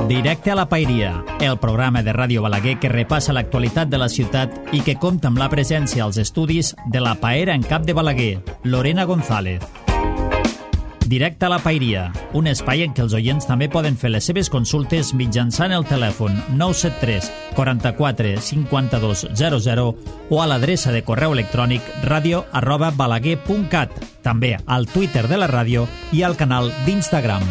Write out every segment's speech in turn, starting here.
Directe a la Paeria, el programa de Ràdio Balaguer que repassa l'actualitat de la ciutat i que compta amb la presència als estudis de la paera en cap de Balaguer, Lorena González. Directe a la Paeria, un espai en què els oients també poden fer les seves consultes mitjançant el telèfon 973 44 52 00 o a l'adreça de correu electrònic radio@balaguer.cat, també al Twitter de la ràdio i al canal d'Instagram.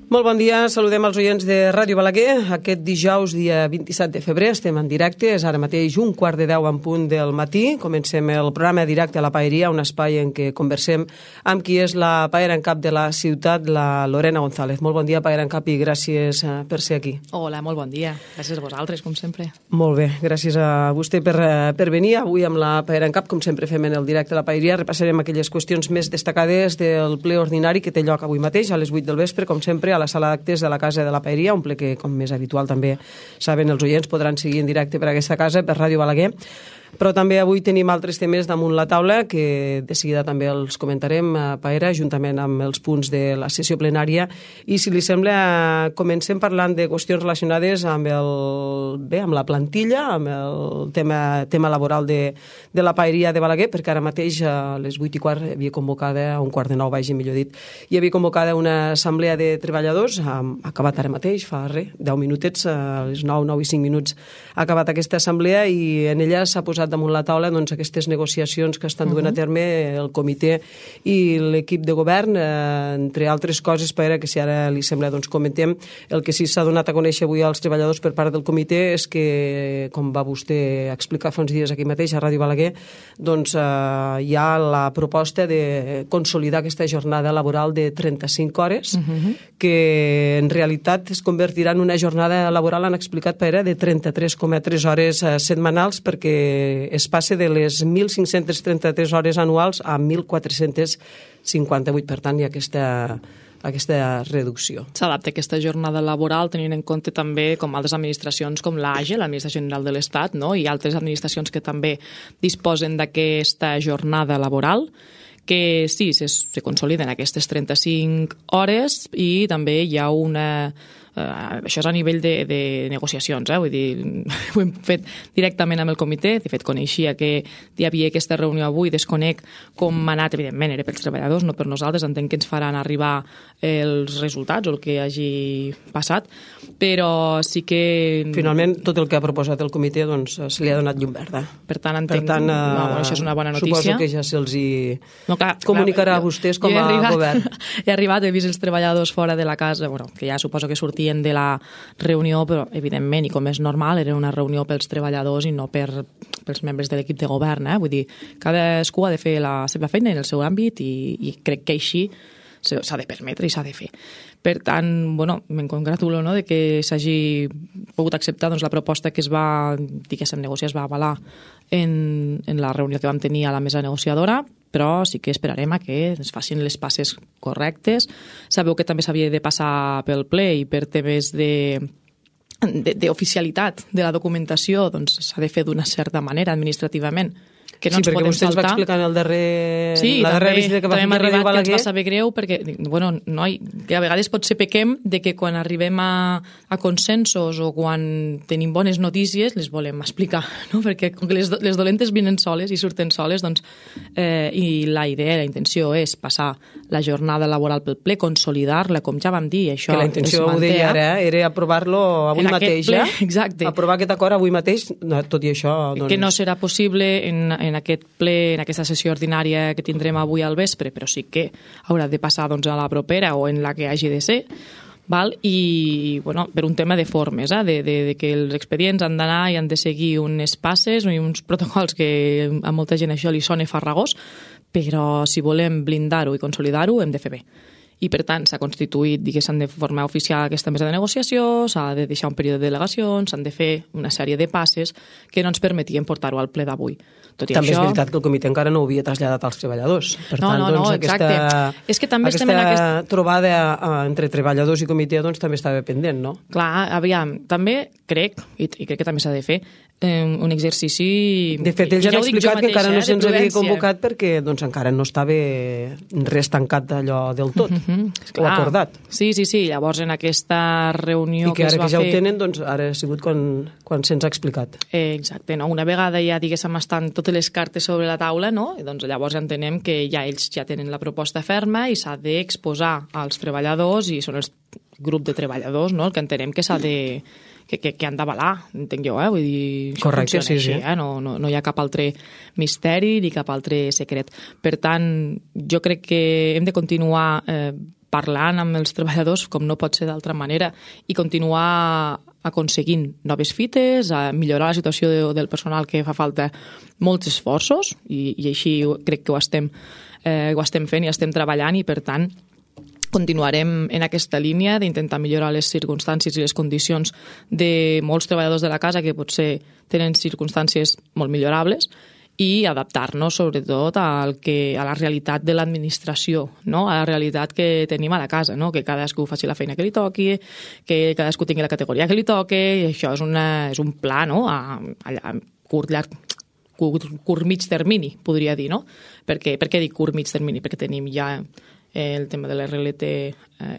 Molt bon dia, saludem els oients de Ràdio Balaguer. Aquest dijous, dia 27 de febrer, estem en directe. És ara mateix 9:45 en punt del matí. Comencem el programa Directe a la Paeria, un espai en què conversem amb qui és la paera en cap de la ciutat, la Lorena González. Molt bon dia, paera en cap, i gràcies per ser aquí. Hola, molt bon dia. Gràcies a vosaltres, com sempre. Molt bé, gràcies a vostè per venir. Avui amb la paera en cap, com sempre fem en el Directe a la Paeria, repassarem aquelles qüestions més destacades del ple ordinari que té lloc avui mateix, a les 8 del vespre, com sempre, a la sala d'actes de la Casa de la Paeria, un ple que, com més habitual també saben els oients, podran seguir en directe per aquesta casa, per Ràdio Balaguer. Però també avui tenim altres temes damunt la taula que de seguida també els comentarem a Paera, juntament amb els punts de la sessió plenària. I si li sembla, comencem parlant de qüestions relacionades amb amb la plantilla, amb el tema laboral de la Paeria de Balaguer, perquè ara mateix a les 8:15 hi havia convocada, a 8:45, vagi millor dit, hi havia convocada una assemblea de treballadors, ha acabat ara mateix, fa 10 minutets, a les 9 i 5 minuts ha acabat aquesta assemblea, i en ella s'ha posat damunt la taula aquestes negociacions que estan duent a terme el comitè i l'equip de govern, entre altres coses, que si ara li sembla comentem. El que sí s'ha donat a conèixer avui als treballadors per part del comitè és que, com va vostè explicar fa uns dies aquí mateix a Ràdio Balaguer, hi ha la proposta de consolidar aquesta jornada laboral de 35 hores, que en realitat es convertirà en una jornada laboral, han explicat, de 33,3 hores setmanals, perquè es passa de les 1.533 hores anuals a 1.458. Per tant, hi ha aquesta reducció. S'adapta aquesta jornada laboral tenint en compte també com altres administracions com l'AGE, l'Administració General de l'Estat, i altres administracions que també disposen d'aquesta jornada laboral, que sí, se consoliden aquestes 35 hores i també hi ha una... això és a nivell de negociacions, vull dir, ho hem fet directament amb el comitè, de fet coneixia que hi havia aquesta reunió avui, desconec com ha anat, evidentment era pels treballadors, no per nosaltres, entenc que ens faran arribar els resultats o el que hagi passat, però sí que... Finalment, tot el que ha proposat el comitè se li ha donat llum verda. Per tant, això és una bona notícia. Suposo que ja se'ls comunicarà a vostès com a govern. He arribat, he vist els treballadors fora de la casa, que ja suposo que sortien de la reunió, però evidentment, i com és normal, era una reunió pels treballadors i no pels membres de l'equip de govern. Vull dir, cadascú ha de fer la seva feina en el seu àmbit i crec que així s'ha de permetre i s'ha de fer. Per tant, me'n congratulo de que s'hagi pogut acceptar la proposta que es va, diguéssim, negociar, es va avalar en la reunió que vam tenir a la mesa negociadora, però sí que esperarem a que es facin les passes correctes. Sabeu que també s'havia de passar pel ple i per temes d'oficialitat de la documentació s'ha de fer d'una certa manera administrativament, que no ens podem saltar. Sí, perquè vostè ens va explicar en la darrera visita que va fer a Ràdio Balaguer. Que ens va saber greu, perquè, que a vegades potser pequem de que quan arribem a consensos o quan tenim bones notícies les volem explicar, no? Perquè com que les dolentes vinen soles i surten soles, i la idea, la intenció és passar la jornada laboral pel ple, consolidar-la, com ja vam dir, això que la intenció, ho deia ara, era aprovar-lo avui mateix, exacte. Aprovar aquest acord avui mateix, tot i això... Que no serà possible en aquest ple, en aquesta sessió ordinària que tindrem avui al vespre, però sí que haurà de passar a la propera o en la que hagi de ser, i per un tema de formes, de que els expedients han d'anar i han de seguir unes passes i uns protocols que a molta gent això li sona farragós, però si volem blindar-ho i consolidar-ho hem de fer bé. I per tant s'ha constituït, diguéssim, de forma oficial aquesta mesa de negociació, s'ha de deixar un període de delegacions, s'han de fer una sèrie de passes que no ens permetien portar-ho al ple d'avui. També és veritat que el comitè encara no ho havia traslladat als treballadors. Per tant, aquesta trobada entre treballadors i comitè també estava pendent, no? Clar, aviam, també crec, i crec que també s'ha de fer, un exercici... De fet, ells han explicat que encara no se'ns havia convocat perquè doncs, encara no estava res tancat d'allò del tot, o acordat. Sí. Llavors, en aquesta reunió que es va fer... I que ara que ja ho tenen, doncs ara ha sigut quan se'ns ha explicat. Exacte, no? Una vegada ja, diguéssim, estan totes les cartes sobre la taula, no? Doncs llavors entenem que ja ells ja tenen la proposta ferma i s'ha d'exposar als treballadors, i són el grup de treballadors, no? El que entenem que s'ha de... que han d'avalar, entenc jo, vull dir, correcte, sí, així, no hi ha cap altre misteri ni cap altre secret. Per tant, jo crec que hem de continuar parlant amb els treballadors, com no pot ser d'altra manera, i continuar aconseguint noves fites, a millorar la situació del personal, que fa falta molts esforços, i així crec que ho estem fent i estem treballant, i per tant continuarem en aquesta línia d'intentar millorar les circumstàncies i les condicions de molts treballadors de la casa que potser tenen circumstàncies molt millorables, i adaptar-nos sobretot a la realitat de l'administració, no? A la realitat que tenim a la casa, no? Que cadascú faci la feina que li toqui, que cadascú tingui la categoria que li toqui, i això és un pla, no? A curt mig termini, podria dir, no? Per què dic curt mig termini? Perquè tenim ja el tema de l'RLT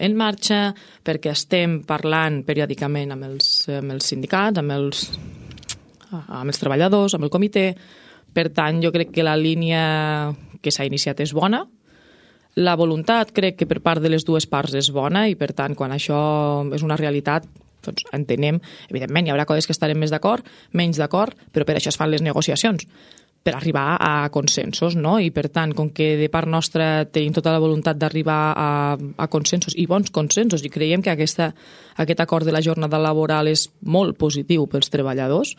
en marxa, perquè estem parlant periòdicament amb els sindicats, amb els treballadors, amb el comitè. Per tant, jo crec que la línia que s'ha iniciat és bona. La voluntat crec que per part de les dues parts és bona, i per tant, quan això és una realitat, doncs entenem, evidentment hi haurà coses que estarem més d'acord, menys d'acord, però per això es fan les negociacions, per arribar a consensos, no? I per tant, com que de part nostra tenim tota la voluntat d'arribar a consensos, i bons consensos, i creiem que aquest acord de la jornada laboral és molt positiu pels treballadors,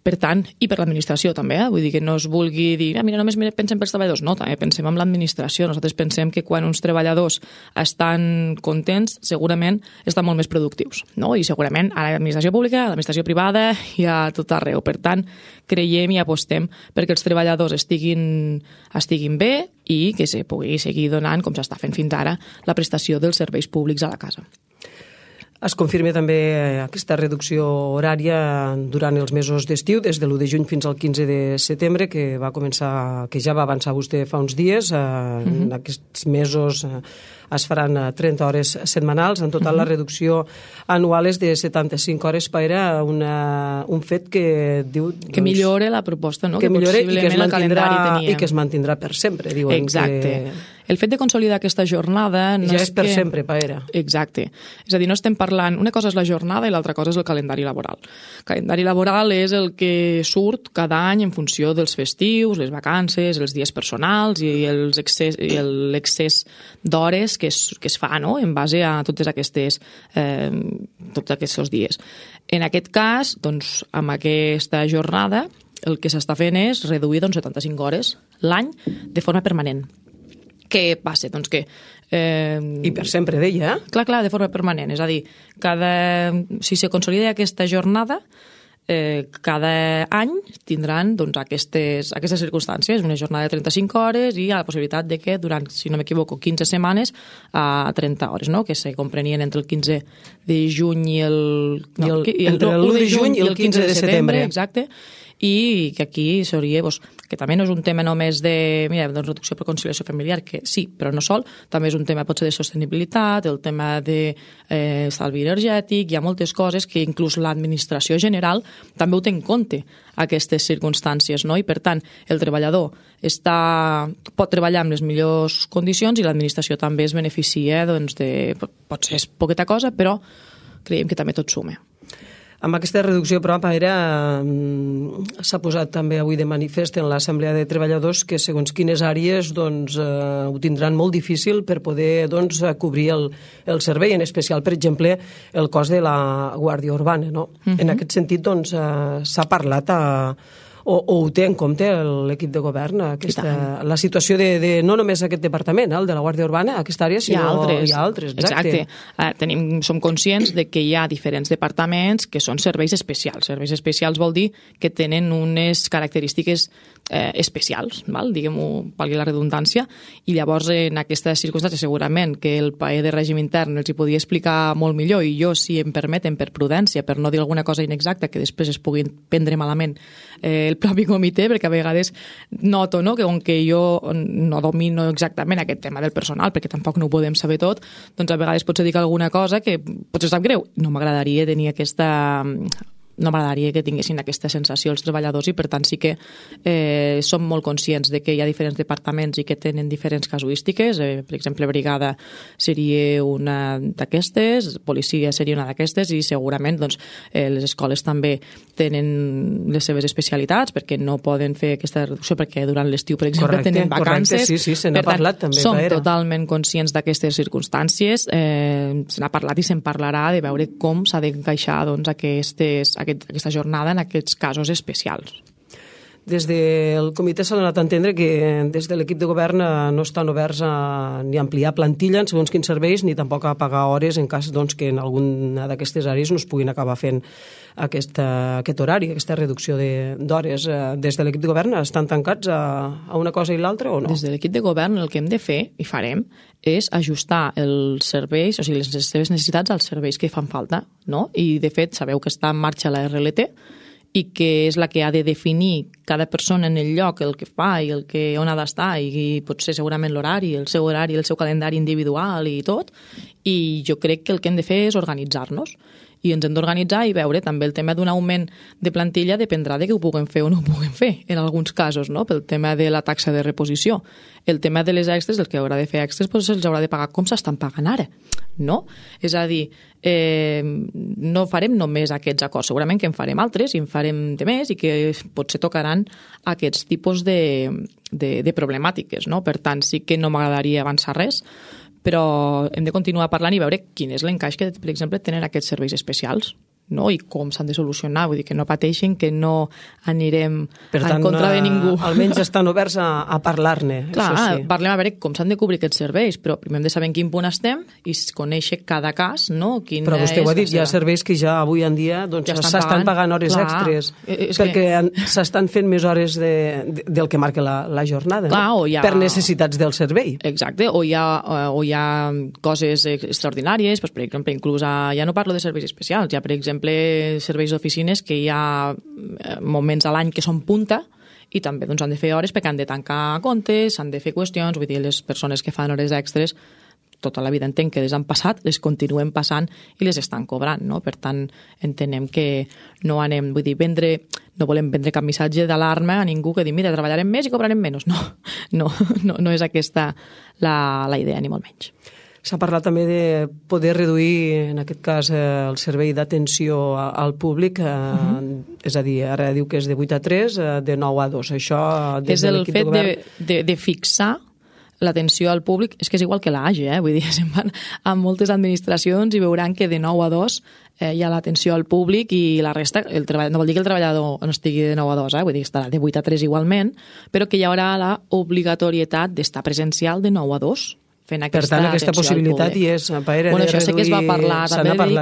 per tant, i per l'administració també, vull dir que no es vulgui dir, mira, només pensem pels treballadors, no, també pensem en l'administració. Nosaltres pensem que quan uns treballadors estan contents, segurament estan molt més productius, no? I segurament a l'administració pública, a l'administració privada i a tot arreu. Per tant, creiem i apostem perquè els treballadors estiguin bé i que se pugui seguir donant, com s'està fent fins ara, la prestació dels serveis públics a la casa. Es confirma també aquesta reducció horària durant els mesos d'estiu, des de l'1 de juny fins al 15 de setembre, que ja va avançar vostè fa uns dies. En aquests mesos es faran 30 hores setmanals. En total, la reducció anual és de 75 hores. Era un fet que diu... Que millore la proposta, no? Que millore i que es mantindrà per sempre, diuen. Exacte. El fet de consolidar aquesta jornada... Ja és per sempre, Paera. Exacte. És a dir, no estem parlant... Una cosa és la jornada i l'altra cosa és el calendari laboral. El calendari laboral és el que surt cada any en funció dels festius, les vacances, els dies personals i l'excés d'hores que es fa, no?, en base a tots aquests dies. En aquest cas, doncs, amb aquesta jornada, el que s'està fent és reduir 75 hores l'any de forma permanent. Què passa? Doncs que... I per sempre, deia. Clar, de forma permanent. És a dir, si se consolida aquesta jornada, cada any tindran doncs, aquestes circumstàncies, una jornada de 35 hores i la possibilitat de que durant, si no m'equivoco, 15 setmanes a 30 hores, no?, que se comprenien entre el 15 de juny i entre l'1 de juny i el 15 de setembre. Exacte. I que aquí seria, que també no és un tema només de reducció per conciliació familiar, que sí, però no sol, també és un tema potser de sostenibilitat, el tema de estalvi energètic, hi ha moltes coses que inclús l'administració general també ho té en compte, aquestes circumstàncies, no? I per tant, el treballador pot treballar amb les millors condicions i l'administració també es beneficia, potser és poqueta cosa, però creiem que també tot suma. Amb aquesta reducció, però, s'ha posat també avui de manifest en l'Assemblea de Treballadors que segons quines àrees ho tindran molt difícil per poder cobrir el servei, en especial, per exemple, el cos de la Guàrdia Urbana. No? En aquest sentit, s'ha parlat o ho té en compte l'equip de govern, la situació de no només aquest departament, el de la Guàrdia Urbana, aquesta àrea, sinó hi ha altres. Exacte. Som conscients de que hi ha diferents departaments que són serveis especials. Serveis especials vol dir que tenen unes característiques especials, diguem-ho, valgui la redundància, i llavors en aquestes circumstàncies segurament que el paer de règim intern els hi podia explicar molt millor, i jo, si em permeten, per prudència, per no dir alguna cosa inexacta que després es puguin prendre malament el propi comitè, perquè a vegades noto que com que jo no domino exactament aquest tema del personal, perquè tampoc no ho podem saber tot, doncs a vegades potser dic alguna cosa que potser sap greu. No m'agradaria tenir no m'agradaria que tinguessin aquesta sensació els treballadors, i per tant sí que som molt conscients de que hi ha diferents departaments i que tenen diferents casuístiques. Per exemple, brigada seria una d'aquestes, policia seria una d'aquestes, i segurament les escoles també tenen les seves especialitats, perquè no poden fer aquesta reducció perquè durant l'estiu, per exemple, tenen vacances. Correcte, sí, se n'ha parlat també. Som totalment conscients d'aquestes circumstàncies, se n'ha parlat i se'n parlarà de veure com s'ha d'encaixar aquesta jornada en aquests casos especials. Des del comitè s'ha donat a entendre que des de l'equip de govern no estan oberts ni a ampliar plantilla en segons quins serveis, ni tampoc a pagar hores en cas que en alguna d'aquestes àrees no es puguin acabar fent aquest horari, aquesta reducció d'hores. Des de l'equip de govern estan tancats a una cosa i l'altra o no? Des de l'equip de govern el que hem de fer, i farem, és ajustar els serveis, o sigui, les seves necessitats als serveis que fan falta, no? I, de fet, sabeu que està en marxa la RLT, i que és la que ha de definir cada persona en el lloc, el que fa i on ha d'estar, i potser segurament l'horari, el seu calendari individual i tot, i jo crec que el que hem de fer és organitzar-nos. I ens hem d'organitzar i veure també el tema d'un augment de plantilla dependrà de que ho puguem fer o no ho puguem fer, en alguns casos, no? Pel tema de la taxa de reposició. El tema de les extres, el que haurà de fer extres, doncs se'ls haurà de pagar com s'estan pagant ara, no? És a dir, no farem només aquests acords, segurament que en farem altres i en farem de més, i que potser tocaran aquests tipus de problemàtiques, no? Per tant, sí que no m'agradaria avançar res, però hem de continuar parlant i veure quin és l'encaix que, per exemple, tenen aquests serveis especials, no? I com s'han de solucionar, vull dir que no pateixin, que no anirem en contra de ningú. Almenys estan oberts a parlar-ne. Clar, sí. Parlem a veure com s'han de cobrir aquests serveis, però primer hem de saber en quin punt estem i conèixer cada cas, no? Però vostè ho ha dit, hi ha serveis que ja avui en dia s'estan pagant hores extres, perquè s'estan fent més hores del que marca la jornada, per necessitats del servei. Exacte, o hi ha coses extraordinàries, per exemple, inclús ja no parlo de serveis especials, ja per exemple serveis d'oficines que hi ha moments a l'any que són punta i també han de fer hores perquè han de tancar comptes, han de fer qüestions, vull dir, les persones que fan hores extres tota la vida entenc que les han passat, les continuen passant i les estan cobrant, no? Per tant, entenem que no anem, vull dir, no volem vendre cap missatge d'alarma a ningú que digui, mira, treballarem més i cobrarem menys. No és aquesta la idea, ni molt menys. S'ha parlat també de poder reduir, en aquest cas, el servei d'atenció al públic, és a dir, ara diu que és de 8 a 3, de 9 a 2. Això, des de l'equip de govern... És el fet de fixar l'atenció al públic, és que és igual que l'AGE, vull dir, se'n van a moltes administracions i veuran que de 9 a 2 hi ha l'atenció al públic i la resta, no vol dir que el treballador no estigui de 9 a 2, vull dir que estarà de 8 a 3 igualment, però que hi haurà l'obligatorietat d'estar presencial de 9 a 2. Per tant, aquesta possibilitat hi és. Això sí que es va parlar.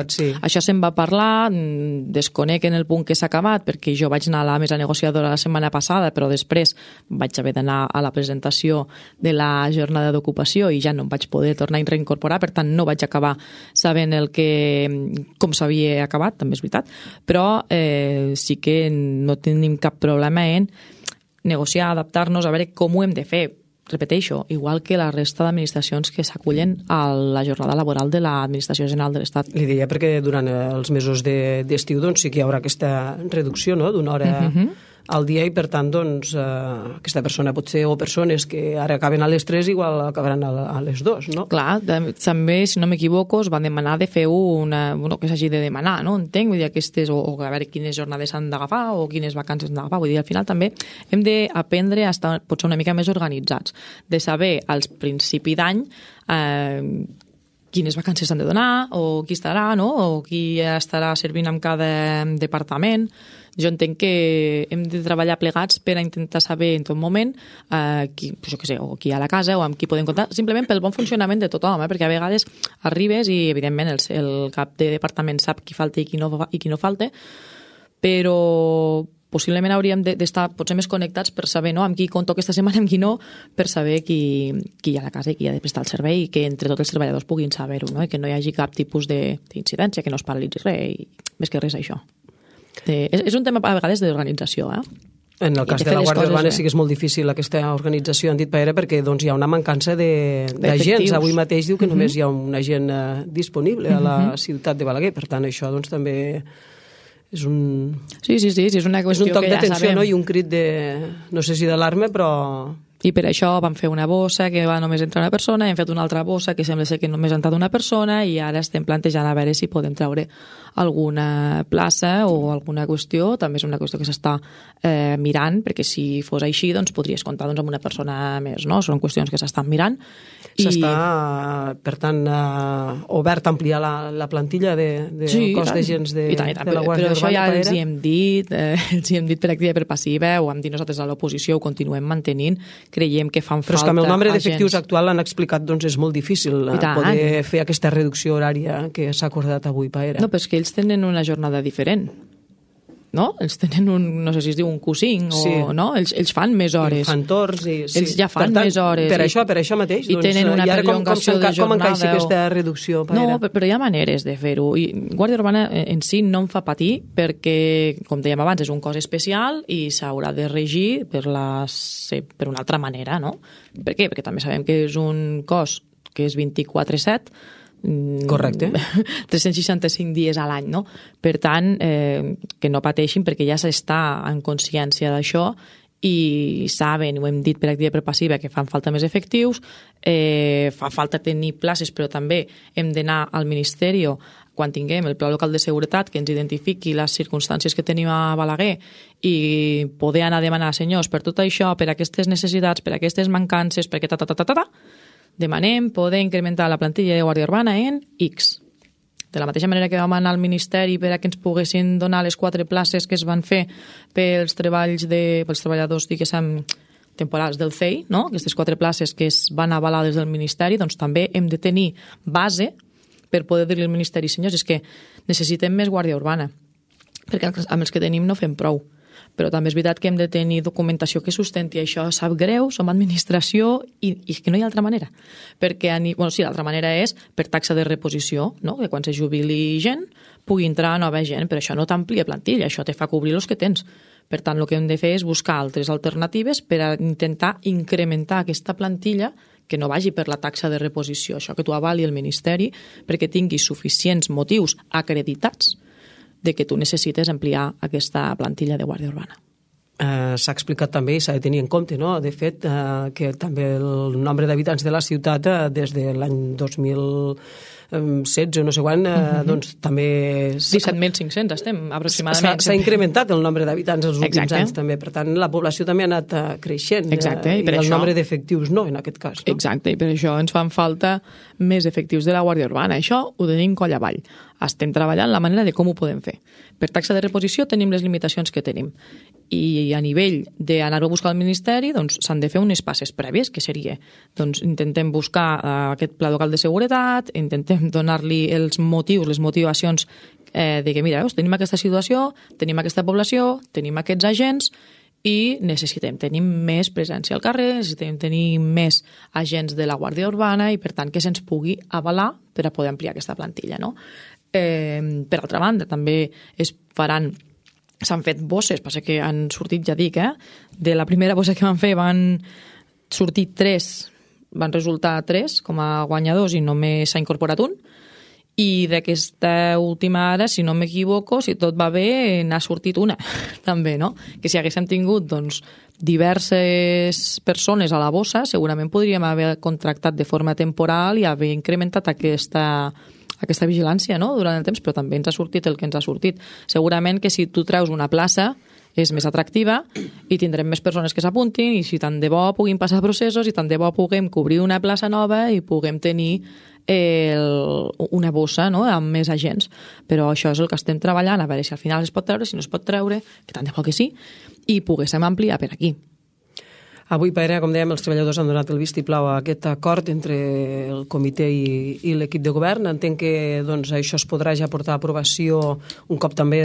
Sí. Això se'n va parlar, desconec en el punt que s'ha acabat, perquè jo vaig anar a la mesa negociadora la setmana passada, però després vaig haver d'anar a la presentació de la jornada d'ocupació i ja no em vaig poder tornar a reincorporar, per tant no vaig acabar sabent com s'havia acabat, també és veritat, però sí que no tenim cap problema en negociar, adaptar-nos, a veure com ho hem de fer. Repeteixo, igual que la resta d'administracions que s'acullen a la jornada laboral de l'Administració General de l'Estat. Li deia perquè durant els mesos d'estiu sí que hi haurà aquesta reducció, no?, d'una hora al dia i, per tant, aquesta persona potser, o persones que ara acaben a les 3 igual acabaran a les 2, no? Clar, també, si no m'equivoco, es van demanar de fer que s'hagi de demanar, no? Entenc, vull dir, aquestes, o a veure quines jornades s'han d'agafar o quines vacances s'han d'agafar, vull dir, al final també hem d'aprendre a estar potser una mica més organitzats, de saber als principi d'any quines vacances s'han de donar, o qui estarà, no?, o qui estarà servint en cada departament. Jo entenc que hem de treballar plegats per a intentar saber en tot moment qui hi ha a la casa o amb qui podem comptar, simplement pel bon funcionament de tothom, perquè a vegades arribes i, evidentment, el cap de departament sap qui falta i qui no falta, però possiblement hauríem d'estar potser més connectats per saber amb qui compto aquesta setmana, amb qui no, per saber qui hi ha a la casa i qui ha de prestar el servei i que entre tots els treballadors puguin saber-ho, no? I que no hi hagi cap tipus d'incidència, que no es paralitzi res, i més que res això. És un tema a vegades d'organització, En el cas de la Guàrdia Urbana sí que és molt difícil aquesta organització, han dit Paera, perquè hi ha una mancança d'agents. Avui mateix diu que només hi ha un agent disponible a la ciutat de Balaguer, per tant això també és un... Sí, és una qüestió que ja sabem. És un toc d'atenció, no? I un crit de, no sé si d'alarma, però... I per això vam fer una bossa que va només entrar una persona, hem fet una altra bossa que sembla ser que només ha entrat una persona i ara estem plantejant a veure si podem treure alguna plaça o alguna qüestió. També és una qüestió que s'està mirant, perquè si fos així doncs podries comptar amb una persona més, no? Són qüestions que s'estan mirant. S'està, per tant, obert a ampliar la plantilla del cos d'agents de la Guàrdia Urbana. Però això ja els hi hem dit per activa i per passiva, ho hem dit nosaltres a l'oposició, ho continuem mantenint, creiem que fan falta... Però és que amb el nombre d'efectius actual l'han explicat, doncs és molt difícil poder fer aquesta reducció horària que s'ha acordat avui, Paera. No, però és que ells tenen una jornada diferent, no? Ells tenen no sé si es diu un Q5 o no? Ells fan més hores. Fan torns i... Ells ja fan més hores. Per això mateix. I tenen una perllongació de jornada. Com encaixa aquesta reducció, Paera? No, però hi ha maneres de fer-ho. I Guàrdia Urbana en si no em fa patir perquè, com dèiem abans, és un cos especial i s'haurà de regir per una altra manera, no? Per què? Perquè també sabem que és un cos que és 24/7, correcte. 365 dies a l'any, no? Per tant, que no pateixin perquè ja s'està en consciència d'això i saben, ho hem dit per activa i per passiva, que fan falta més efectius, fa falta tenir places, però també hem d'anar al Ministeri quan tinguem el Pla Local de Seguretat que ens identifiqui les circumstàncies que tenim a Balaguer i poder anar a demanar, senyors, per tot això, per aquestes necessitats, per aquestes mancances, perquè demanem poder incrementar la plantilla de Guàrdia Urbana en X. De la mateixa manera que vam anar al Ministeri per a que ens poguessin donar les 4 places que es van fer pels treballadors, diguéssim, temporals del CEI, no? Aquestes 4 places que es van avalar des del Ministeri, doncs també hem de tenir base per poder dir-li al Ministeri, senyors, és que necessitem més Guàrdia Urbana, perquè amb els que tenim no fem prou. Però també és veritat que hem de tenir documentació que sustenti això. Sap greu, som administració i que no hi ha altra manera. Perquè, sí, l'altra manera és per taxa de reposició, no? Que quan se jubili gent pugui entrar nova gent, però això no t'amplia plantilla, això te fa cobrir els que tens. Per tant, el que hem de fer és buscar altres alternatives per a intentar incrementar aquesta plantilla que no vagi per la taxa de reposició, això que tu avali el Ministeri perquè tinguis suficients motius acreditats de que tu necessites ampliar aquesta plantilla de Guàrdia Urbana. S'ha explicat també i s'ha de tenir en compte, no? De fet, que també el nombre d'habitants de la ciutat des de l'any 2016 o no sé quan, doncs també... 17.500 estem, aproximadament. S'ha incrementat el nombre d'habitants els últims anys també, per tant la població també ha anat creixent. Exacte, i el nombre d'efectius no, en aquest cas. No? Exacte, i per això ens fan falta més efectius de la Guàrdia Urbana. Això ho tenim coll avall. Estem treballant la manera de com ho podem fer. Per taxa de reposició tenim les limitacions que tenim. I a nivell d'anar-ho a buscar al Ministeri, doncs s'han de fer unes passes prèvies, que seria, doncs intentem buscar aquest Pla Local de Seguretat, intentem donar-li els motius, les motivacions de que, mira, tenim aquesta situació, tenim aquesta població, tenim aquests agents i necessitem tenir més presència al carrer, necessitem tenir més agents de la Guàrdia Urbana i, per tant, que se'ns pugui avalar per a poder ampliar aquesta plantilla, no? Per altra banda, també s'han fet bosses, passa que han sortit, ja dic, de la primera bossa que van fer van sortir 3, van resultar 3 com a guanyadors i només s'ha incorporat un, i d'aquesta última ara, si no m'equivoco, si tot va bé, n'ha sortit una, també, no? Que si haguéssim tingut, doncs, diverses persones a la bossa, segurament podríem haver contractat de forma temporal i haver incrementat aquesta vigilància, no?, durant el temps, però també ens ha sortit el que ens ha sortit. Segurament que si tu treus una plaça és més atractiva i tindrem més persones que s'apuntin i si tant de bo puguin passar processos i tant de bo puguem cobrir una plaça nova i puguem tenir una bossa, no?, amb més agents. Però això és el que estem treballant, a veure si al final es pot treure, si no es pot treure, que tant de bo que sí, i poguéssim ampliar per aquí. Avui, Paera, com dèiem, els treballadors han donat el vistiplau a aquest acord entre el comitè i l'equip de govern. Entenc que doncs, això es podrà ja portar a aprovació un cop també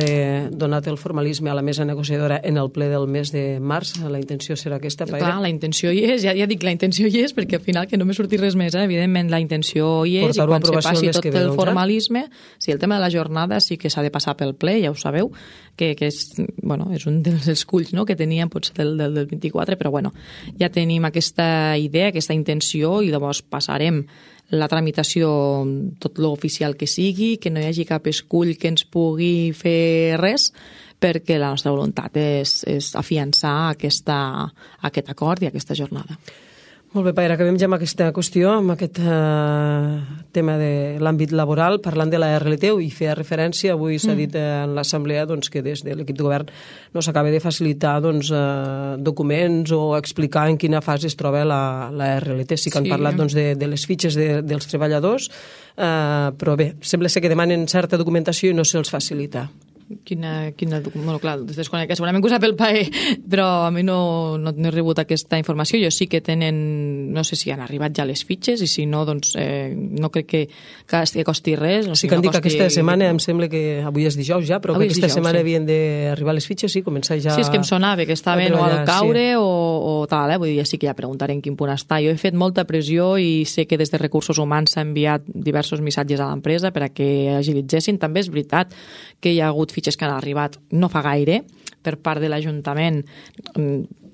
donat el formalisme a la mesa negociadora en el ple del mes de març. La intenció serà aquesta, Paera? Clar, la intenció hi és, ja dic, la intenció hi és, perquè al final que no me surti res més, evidentment la intenció hi és, i quan se passi tot el formalisme, sí, el tema de la jornada sí que s'ha de passar pel ple, ja ho sabeu, que és, bueno, és un dels esculls, no?, que teníem potser del 24, però bueno, ja tenim aquesta idea, aquesta intenció, i llavors passarem la tramitació tot l'oficial que sigui, que no hi hagi cap escull que ens pugui fer res, perquè la nostra voluntat és afiançar aquest acord i aquesta jornada. Molt bé, Paera, acabem ja amb aquesta qüestió, amb aquest tema de l'àmbit laboral, parlant de la RLT, i feia referència, avui s'ha dit en l'assemblea doncs, que des de l'equip de govern no s'acaba de facilitar doncs, documents o explicar en quina fase es troba la RLT. Sí que han parlat doncs, de les fitxes dels treballadors, però bé, sembla ser que demanen certa documentació i no se'ls facilita. Bueno, clar, desconec, segurament que ho sap el PAE, però a mi no he rebut aquesta informació. Jo sí que tenen, no sé si han arribat ja les fitxes, i si no, doncs no crec que costi res. Sí que han dit que aquesta setmana, em sembla que avui és dijous ja, però que aquesta setmana havien d'arribar les fitxes, sí, començar ja... Sí, és que em sonava que estaven o al caure o tal, vull dir, ja sí que ja preguntaré en quin punt està. Jo he fet molta pressió i sé que des de Recursos Humans s'ha enviat diversos missatges a l'empresa per a que agilitzessin. També és veritat que hi ha hagut fitxes que han arribat no fa gaire per part de l'Ajuntament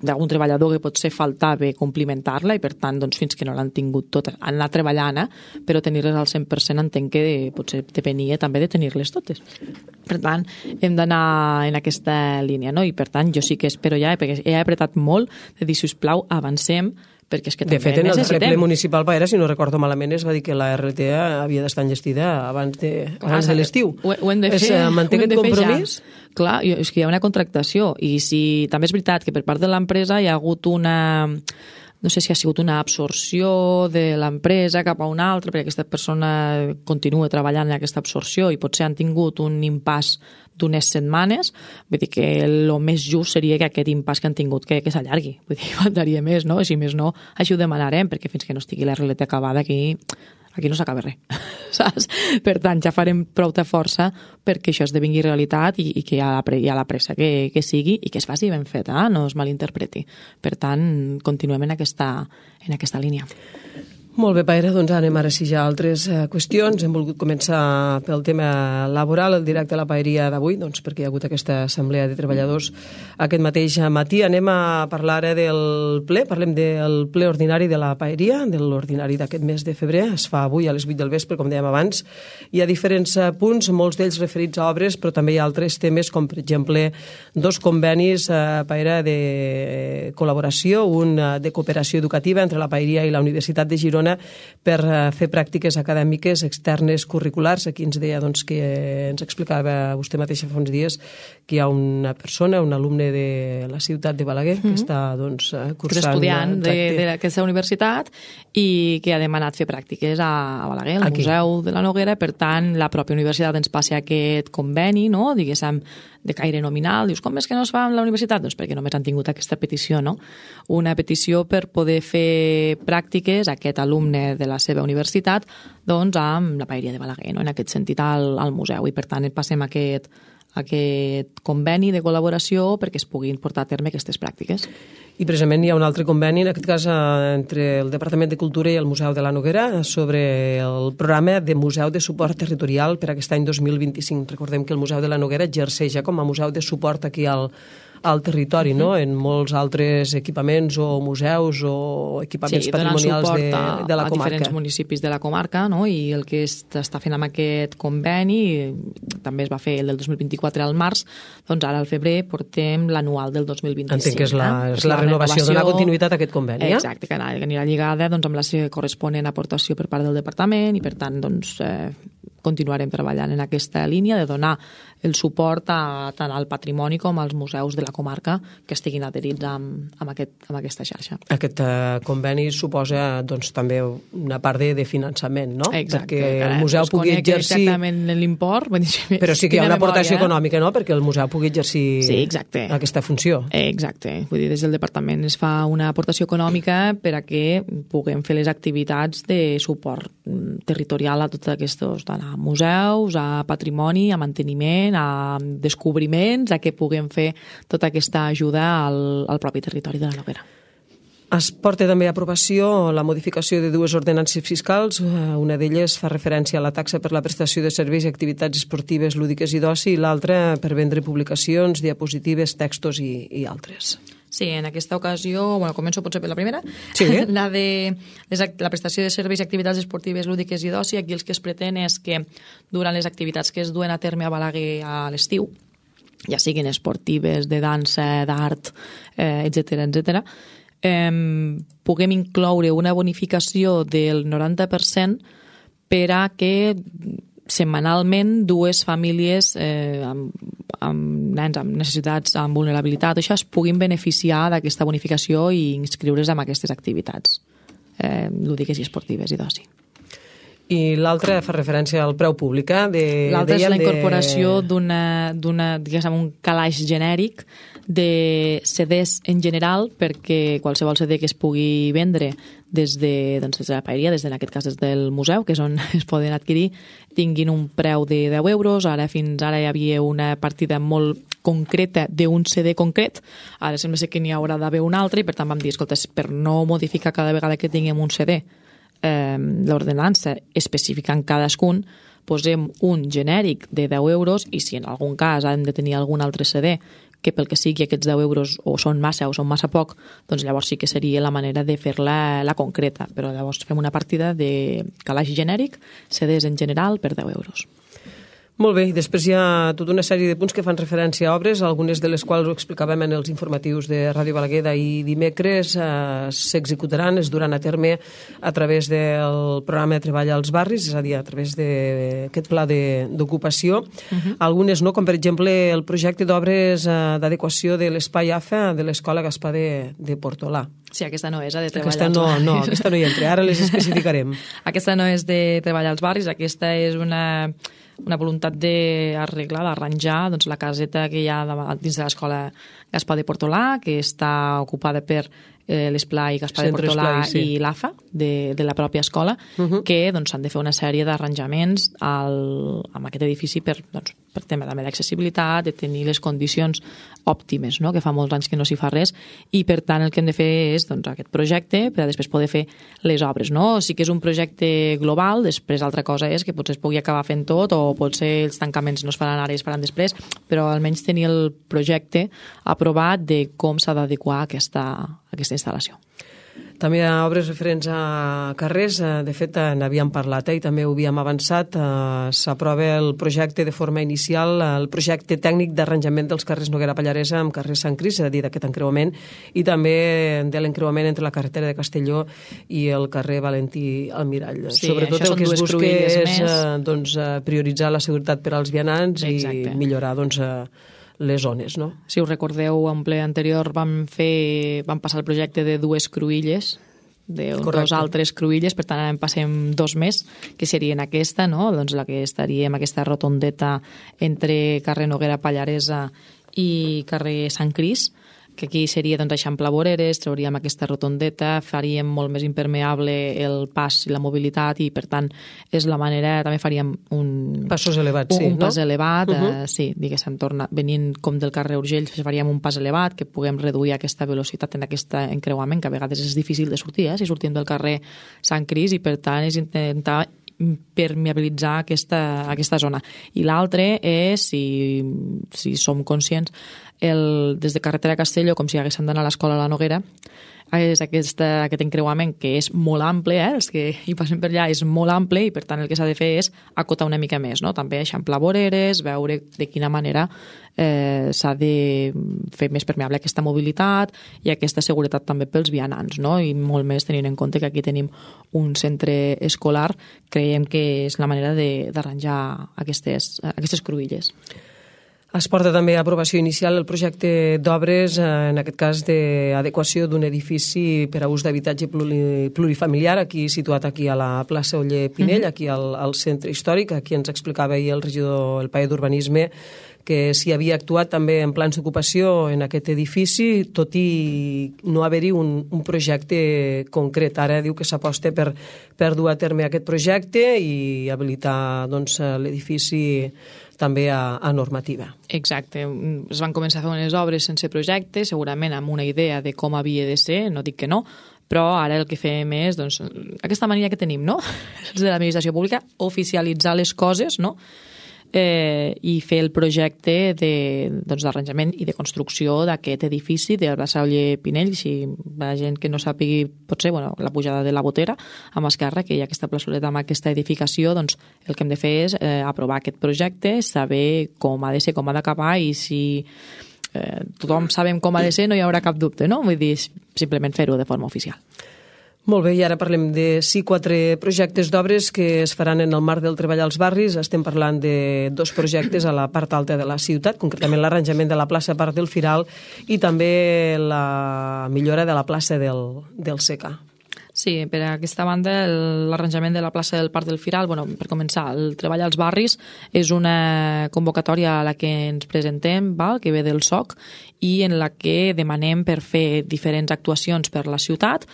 d'algun treballador que potser faltava complimentar-la, i per tant, doncs, fins que no l'han tingut tot, han anat treballant, però tenir-les al 100% entenc que potser depenia també de tenir-les totes. Per tant, hem d'anar en aquesta línia, no? I per tant, jo sí que espero ja, perquè he apretat molt, de dir, sisplau, avancem, perquè és que també necessitem. De fet, en el ple municipal, Paera, si no recordo malament, es va dir que la RLT havia d'estar enllestida abans de l'estiu. Ho hem de fer. Manté aquest compromís? Clar, és que hi ha una contractació, i si també és veritat que per part de l'empresa hi ha hagut no sé si ha sigut una absorció de l'empresa cap a una altra, perquè aquesta persona continua treballant en aquesta absorció i potser han tingut un impàs d'unes setmanes. Vull dir que el més just seria que aquest impàs que han tingut que s'allargui. Vull dir, faltaria més, no? Si més no, així ho demanarem, perquè fins que no estigui la RLT acabada aquí no s'acaba res, saps? Per tant, ja farem prou de força perquè això esdevingui realitat i que hi ha la pressa que sigui i que es faci ben feta, no es malinterpreti. Per tant, continuem en aquesta línia. Molt bé, Paera, doncs anem ara sí ja a altres qüestions. Hem volgut començar pel tema laboral, el directe a la paeria d'avui, doncs perquè hi ha hagut aquesta assemblea de treballadors aquest mateix matí. Anem a parlar ara del ple, parlem del ple ordinari de la paeria, de l'ordinari d'aquest mes de febrer. Es fa avui a les 8 del vespre, com dèiem abans. Hi ha diferents punts, molts d'ells referits a obres, però també hi ha altres temes, com per exemple 2 convenis, Paera, de col·laboració, un de cooperació educativa entre la paeria i la Universitat de Girona per fer pràctiques acadèmiques externes curriculars. Aquí ens deia doncs, que ens explicava vostè mateixa fa uns dies que hi ha una persona, un alumne de la ciutat de Balaguer, que està doncs, cursant... estudiant d'aquesta universitat i que ha demanat fer pràctiques a Balaguer, al Museu de la Noguera. Per tant, la pròpia universitat ens passa aquest conveni, no?, diguéssim, de caire nominal. Dius, com és que no es fa amb la universitat? Doncs perquè només han tingut aquesta petició, no? Una petició per poder fer pràctiques a aquest alumne de la seva universitat doncs amb la paeria de Balaguer, no?, en aquest sentit al museu, i per tant passem aquest conveni de col·laboració perquè es puguin portar a terme aquestes pràctiques. I precisament hi ha un altre conveni, en aquest cas entre el Departament de Cultura i el Museu de la Noguera, sobre el programa de Museu de Suport Territorial per aquest any 2025. Recordem que el Museu de la Noguera exerceix ja com a museu de suport aquí al territori, no?, en molts altres equipaments o museus o equipaments patrimonials de la comarca. A diferents municipis de la comarca, no?, i el que s'està fent amb aquest conveni, també es va fer el del 2024 al març, doncs ara al febrer portem l'anual del 2025. Entenc que és la renovació, donar continuïtat a aquest conveni. Exacte, que anirà lligada doncs, amb la corresponent aportació per part del departament, i per tant doncs, continuarem treballant en aquesta línia de donar el suport tant al patrimoni com als museus de la comarca que estiguin adherits amb aquesta xarxa. Aquest conveni suposa doncs, també una part de finançament, no? Exacte. Perquè el museu pugui exercir... exactament l'import. Però sí que hi ha una aportació econòmica, no? Perquè el museu pugui exercir aquesta funció. Exacte. Vull dir, des del departament es fa una aportació econòmica per a que puguem fer les activitats de suport territorial a tots aquests, tant a museus, a patrimoni, a manteniment, a descobriments, a que puguem fer tota aquesta ajuda al propi territori de la Noguera. Es porta també a aprovació la modificació de dues ordenances fiscals. Una d'elles fa referència a la taxa per la prestació de serveis i activitats esportives, lúdiques i d'oci, i l'altra per vendre publicacions, diapositives, textos i altres. Sí, en aquesta ocasió, començo potser per la primera, sí. La de la prestació de serveis i activitats esportives, lúdiques i d'oci. Aquí el que es pretén és que durant les activitats que es duen a terme a Balaguer a l'estiu, ja siguin esportives, de dansa, d'art, etc., puguem incloure una bonificació del 90% per a que setmanalment dues famílies amb nens amb necessitats, amb vulnerabilitat, això es puguin beneficiar d'aquesta bonificació i inscriure's en aquestes activitats lúdiques i esportives i d'oci. I l'altra fa referència al preu públic. L'altra és la incorporació d'un calaix genèric de CDs en general, perquè qualsevol CD que es pugui vendre des de la paeria, en aquest cas des del museu, que és on es poden adquirir, tinguin un preu de 10 euros. Fins ara hi havia una partida molt concreta d'un CD concret, ara sembla que n'hi haurà d'haver un altre, i per tant vam dir, escolta, per no modificar cada vegada que tinguem un CD l'ordenança especificant cadascun, posem un genèric de 10 euros i si en algun cas hem de tenir algun altre CD que pel que sigui aquests 10 euros o són massa o són massa poc, doncs llavors sí que seria la manera de fer-la la concreta, però llavors fem una partida de calaix genèric, CDs en general per 10 euros. Molt bé, i després hi ha tota una sèrie de punts que fan referència a obres, algunes de les quals ho explicàvem en els informatius de Ràdio Balaguer d'ahir dimecres, s'executaran, es duran a terme a través del programa de treball als barris, és a dir, a través d'aquest pla d'ocupació. Algunes no, com per exemple el projecte d'obres d'adequació de l'espai AFA de l'Escola Gaspar de Portolà. Sí, aquesta no és de treballar als barris. No, aquesta no hi entra, ara les especificarem. Aquesta no és de treballar als barris, aquesta és una voluntat d'arreglar, d'arranjar la caseta que hi ha dins de l'Escola Gaspar de Portolà, que està ocupada per l'esplai Gaspar de Portolà i l'AFA de la pròpia escola, que s'han de fer una sèrie d'arranjaments amb aquest edifici per tema també d'accessibilitat, de tenir les condicions òptimes, que fa molts anys que no s'hi fa res, i per tant el que hem de fer és aquest projecte per a després poder fer les obres. Sí que és un projecte global, després altra cosa és que potser es pugui acabar fent tot o potser els tancaments no es faran ara i es faran després, però almenys tenir el projecte aprovat de com s'ha d'adequar aquesta instal·lació. També hi ha obres referents a carrers, de fet n'havíem parlat i també ho havíem avançat, s'aprova el projecte de forma inicial, el projecte tècnic d'arranjament dels carrers Noguera Pallaresa amb carrer Sant Cris, és a dir, d'aquest encreuament, i també de l'encreuament entre la carretera de Castelló i el carrer Valentí Almirall. Sí, sobretot el que es busca és prioritzar la seguretat per als vianants i millorar les zones, no? Si us recordeu, en ple anterior vam passar el projecte de dues cruïlles, dos altres cruïlles, per tant ara en passem dos més, que serien aquesta, no? La que estaria en aquesta rotondeta entre carrer Noguera Pallaresa i carrer Sant Cris, que aquí seria eixamplar voreres, trauríem aquesta rotondeta, faríem molt més impermeable el pas i la mobilitat i per tant és la manera, també faríem passos elevats, un pas elevat, sí, diguéssim, venint com del carrer Urgell, faríem un pas elevat, que puguem reduir aquesta velocitat en aquest encreuament, que a vegades és difícil de sortir, si sortim del carrer Sant Cris, i per tant és intentar permeabilitzar aquesta zona. I l'altre és, si som conscients, des de carretera a Castelló, com si haguessin d'anar a l'escola a la Noguera, és aquest encreuament que és molt ample, els que hi passen per allà és molt ample i per tant el que s'ha de fer és acotar una mica més, no? També eixamplar voreres, veure de quina manera s'ha de fer més permeable aquesta mobilitat i aquesta seguretat també pels vianants, no? I molt més tenint en compte que aquí tenim un centre escolar, creiem que és la manera d'arranjar aquestes cruïlles. Es porta també a aprovació inicial el projecte d'obres, en aquest cas d'adequació d'un edifici per a ús d'habitatge plurifamiliar, aquí situat aquí a la plaça Oller Pinell, aquí al centre històric. Aquí ens explicava ahir el regidor, el paller d'Urbanisme, que s'hi havia actuat també en plans d'ocupació en aquest edifici, tot i no haver-hi un projecte concret. Ara diu que s'aposta per dur a terme aquest projecte i habilitar l'edifici també a normativa. Exacte. Es van començar a fer unes obres sense projecte, segurament amb una idea de com havia de ser, no dic que no, però ara el que fem és, aquesta mania que tenim, no?, els de l'administració pública, oficialitzar les coses, no?, i fer el projecte d'arranjament i de construcció d'aquest edifici de la plaça Oller Pinell. Si la gent que no sàpigui, potser, la pujada de la Botera amb esquerra, que hi ha aquesta plaçoleta amb aquesta edificació, doncs el que hem de fer és aprovar aquest projecte, saber com ha de ser, com ha d'acabar, i si tothom sabem com ha de ser no hi haurà cap dubte, no? Vull dir, simplement fer-ho de forma oficial. Molt bé, i ara parlem de 4 projectes d'obres que es faran en el marc del treball als barris. Estem parlant de 2 projectes a la part alta de la ciutat, concretament l'arranjament de la plaça Parc del Firal i també la millora de la plaça del Secà. Sí, per aquesta banda, l'arranjament de la plaça del Parc del Firal, per començar, el treball als barris és una convocatòria a la que ens presentem, que ve del SOC, i en la que demanem per fer diferents actuacions per la ciutat,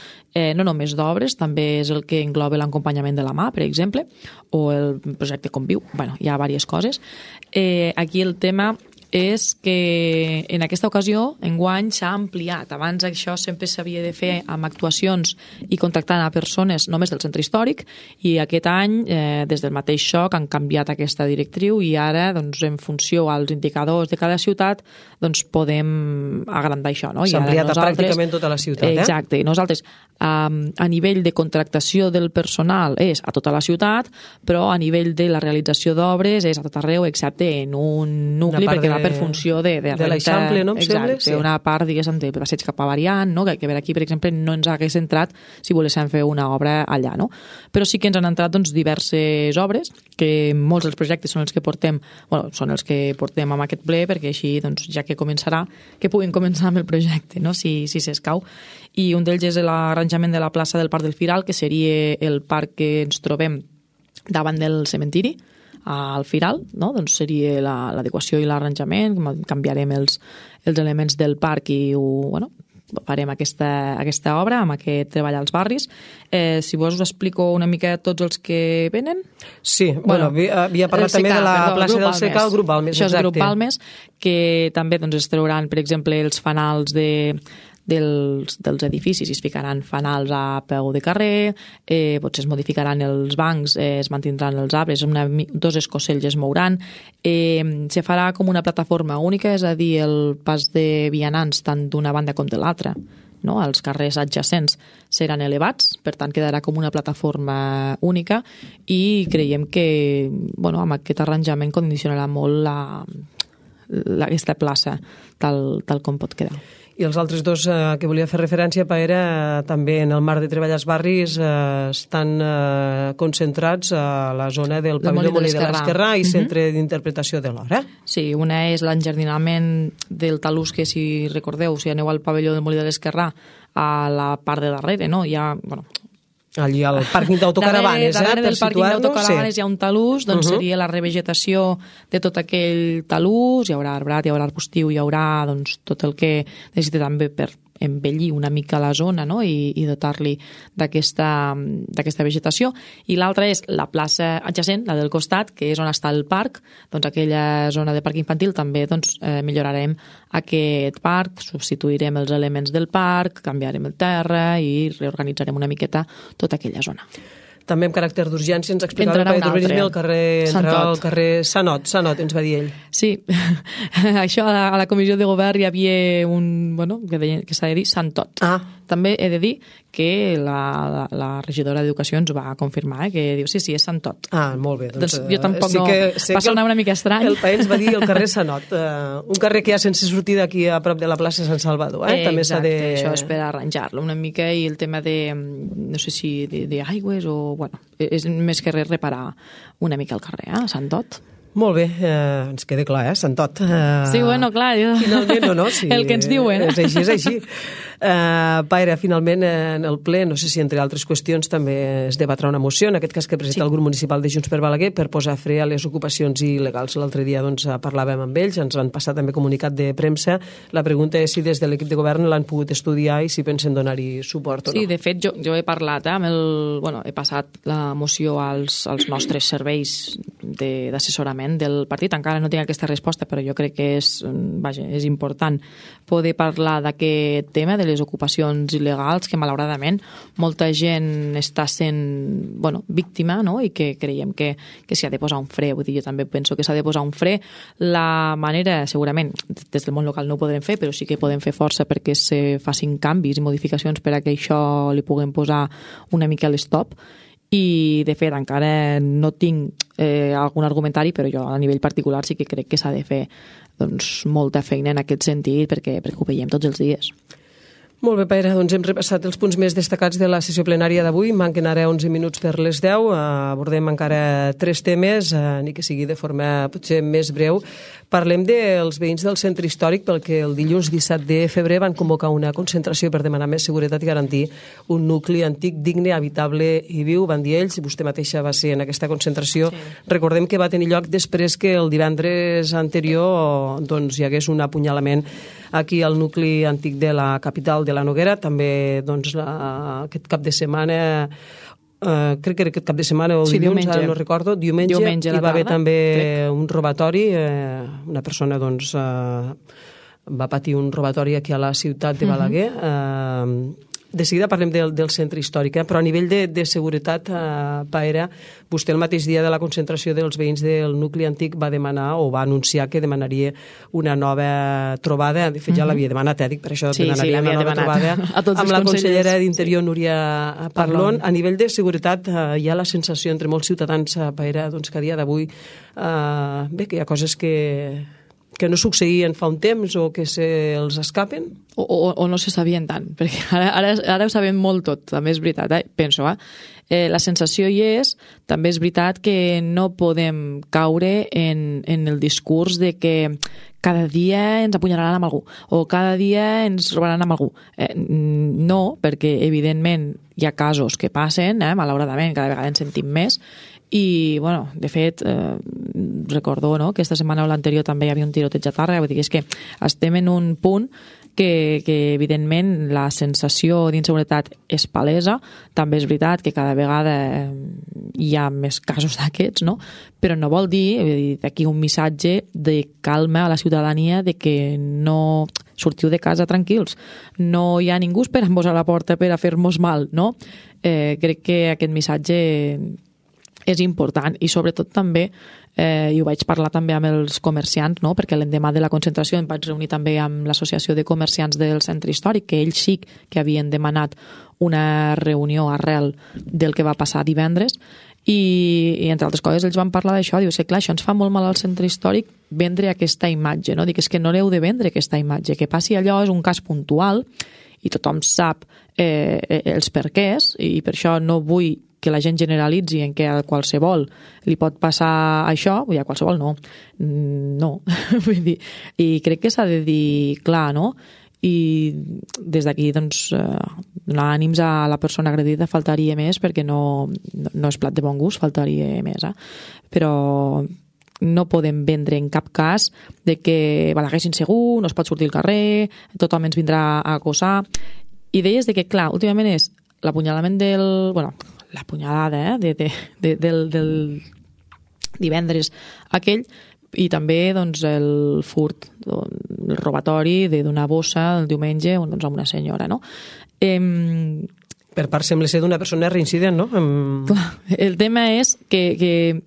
no només d'obres, també és el que engloba l'acompanyament de la mà, per exemple, o el projecte Conviu, hi ha diverses coses. Aquí el tema és que en aquesta ocasió, enguany, s'ha ampliat. Abans això sempre s'havia de fer amb actuacions i contractant a persones només del centre històric, i aquest any, des del mateix SOC, han canviat aquesta directriu i ara, en funció als indicadors de cada ciutat, podem agrandar això. S'ha ampliat a pràcticament tota la ciutat. Exacte. I nosaltres, a nivell de contractació del personal, és a tota la ciutat, però a nivell de la realització d'obres és a tot arreu, excepte en un nucli, perquè per funció de l'Eixample, no? Exacte, sí. Una part, diguéssim, de passeig cap a Variant, no? Que per aquí, per exemple, no ens hagués entrat si volguéssim fer una obra allà, no? Però sí que ens han entrat diverses obres, que molts dels projectes són els que portem, són els que portem amb aquest ple, perquè així, ja que començarà, que puguin començar amb el projecte, no? Si s'escau. I un d'ells és l'arranjament de la plaça del Parc del Firal, que seria el parc que ens trobem davant del cementiri, al Firal, no? Doncs seria l'adequació i l'arranjament, canviarem els elements del parc i farem aquesta obra amb aquest treball als barris. Si vols us explico una mica tots els que venen. Sí, havia parlat també de la plaça del Secà, el grup Balmes. Això és el grup Balmes, que també es trauran, per exemple, els fanals dels edificis, es ficaran fanals a peu de carrer, potser es modificaran els bancs, es mantindran els arbres, 2 escocells es mouran, se farà com una plataforma única, és a dir, el pas de vianants tant d'una banda com de l'altra, no? Els carrers adjacents seran elevats, per tant quedarà com una plataforma única, i creiem que amb aquest arranjament condicionarà molt aquesta plaça tal com pot quedar. I els altres 2 que volia fer referència, era també en el marc de treball als barris, estan concentrats a la zona del pavelló Molí de l'Esquerrà i centre d'interpretació de l'hora. Sí, una és l'enjardinament del talús, que si recordeu, si aneu al pavelló del Molí de l'Esquerrà, a la part de darrere, no? Hi ha, allí al pàrquing d'autocaravanes, darrere del pàrquing d'autocaravanes hi ha un talús, doncs seria la revegetació de tot aquell talús, hi haurà arbrat, hi haurà arbustiu, hi haurà tot el que necessita també per embellir una mica la zona, no? I dotar-li d'aquesta vegetació. I l'altra és la plaça adjacent, la del costat, que és on està el parc, doncs aquella zona de parc infantil també millorarem aquest parc, substituirem els elements del parc, canviarem el terra i reorganitzarem una miqueta tota aquella zona. també amb caràcter d'urgència, ens explicava Entrarà el paper d'urbanisme al carrer Sanot, ens va dir ell. Sí, això a la comissió de govern hi havia que s'ha de dir Santot. També he de dir que la regidora d'Educació ens va confirmar, que diu, sí, és Santot. Molt bé. Doncs jo tampoc va sonar una mica estrany. El país ens va dir el carrer Sanot, un carrer que hi ha sense sortida aquí a prop de la plaça Sant Salvador. També exacte, això és per arranjar-lo una mica, i el tema de, no sé si d'aigües o, és més que res reparar una mica el carrer, Santot. Molt bé, ens queda clar, Santot. Sí, clar, jo... Finalment, no? Sí, el que ens diuen. És així. Paire, finalment, en el ple, no sé si entre altres qüestions també es debatrà una moció, en aquest cas que presenta el grup municipal de Junts per Balaguer, per posar fre a les ocupacions il·legals. L'altre dia parlàvem amb ells, ens van passar també comunicat de premsa. La pregunta és si des de l'equip de govern l'han pogut estudiar i si pensen donar-hi suport o no. Sí, de fet, jo he parlat he passat la moció als nostres serveis d'assessorament del partit. Encara no tinc aquesta resposta, però jo crec que és important poder parlar d'aquest tema, de les ocupacions il·legals, que malauradament molta gent està sent víctima, no? I que creiem que s'hi ha de posar un fre. Vull dir, jo també penso que s'ha de posar un fre. La manera, segurament, des del món local no ho podrem fer, però sí que podem fer força perquè se facin canvis i modificacions per a que això li puguem posar una mica a l'estop. I, de fet, encara no tinc algun argumentari, però jo a nivell particular sí que crec que s'ha de fer molta feina en aquest sentit perquè ho veiem tots els dies. Molt bé, Paire, doncs hem repassat els punts més destacats de la sessió plenària d'avui. Manquen ara 11 minuts per les 10. Abordem encara 3 temes, ni que sigui de forma potser més breu. Parlem dels veïns del centre històric, perquè el dilluns 17 de febrer van convocar una concentració per demanar més seguretat i garantir un nucli antic, digne, habitable i viu. Van dir ells, vostè mateixa va ser en aquesta concentració. Sí. Recordem que va tenir lloc després que el divendres anterior hi hagués un apunyalament aquí al nucli antic de la capital de la Noguera. També aquest cap de setmana, crec que era aquest cap de setmana o dilluns, ara no recordo, diumenge hi va haver també un robatori. Una persona va patir un robatori aquí a la ciutat de Balaguer. De seguida parlem del centre històric, però a nivell de seguretat, Paera, vostè el mateix dia de la concentració dels veïns del nucli antic va demanar o va anunciar que demanaria una nova trobada. De fet, ja l'havia demanat, per això demanaria una nova trobada amb la consellera d'Interior, Núria Parlon. A nivell de seguretat hi ha la sensació entre molts ciutadans, Paera, que a dia d'avui que hi ha coses que no succeïen fa un temps o que se'ls escapen? O no se sabien tant, perquè ara ho sabem molt tot, també és veritat, penso. La sensació hi és, també és veritat que no podem caure en el discurs de que cada dia ens apunyalaran amb algú o cada dia ens robaran amb algú. No, perquè evidentment hi ha casos que passen, malauradament cada vegada en sentim més. I, de fet, recordo que aquesta setmana o l'anterior també hi havia un tiroteig a Tàrrega. Vull dir, és que estem en un punt que evidentment la sensació d'inseguretat és palesa. També és veritat que cada vegada hi ha més casos d'aquests, no? Però no vol dir aquí un missatge de calma a la ciutadania, de que no sortiu de casa tranquils, no hi ha ningú esperant-vos a la porta per a fer-nos mal, no? Crec que aquest missatge és important, i sobretot també, i ho vaig parlar també amb els comerciants, no? Perquè l'endemà de la concentració em vaig reunir també amb l'Associació de Comerciants del Centre Històric, que ells sí que havien demanat una reunió arrel del que va passar divendres, i entre altres coses ells van parlar d'això. Diu, clar, això ens fa molt mal al Centre Històric vendre aquesta imatge, no? Dic, és que no l'heu de vendre aquesta imatge, que passi allò és un cas puntual i tothom sap els perquès, i per això no vull que la gent generalitzi en que a qualsevol li pot passar això. Vull dir, a qualsevol no. Vull dir, i crec que s'ha de dir clar, no? I des d'aquí, donar ànims a la persona agredida faltaria més, perquè no és plat de bon gust, faltaria més. Però no podem vendre en cap cas de que Balaguer és insegur, no es pot sortir al carrer, tothom ens vindrà a acosar. I deies de que, clar, últimament és l'apunyalament l'apunyalada del divendres aquell, i també el furt, el robatori d'una bossa el diumenge a una senyora, no? Per part sembla ser d'una persona reincident, no? Clar, el tema és que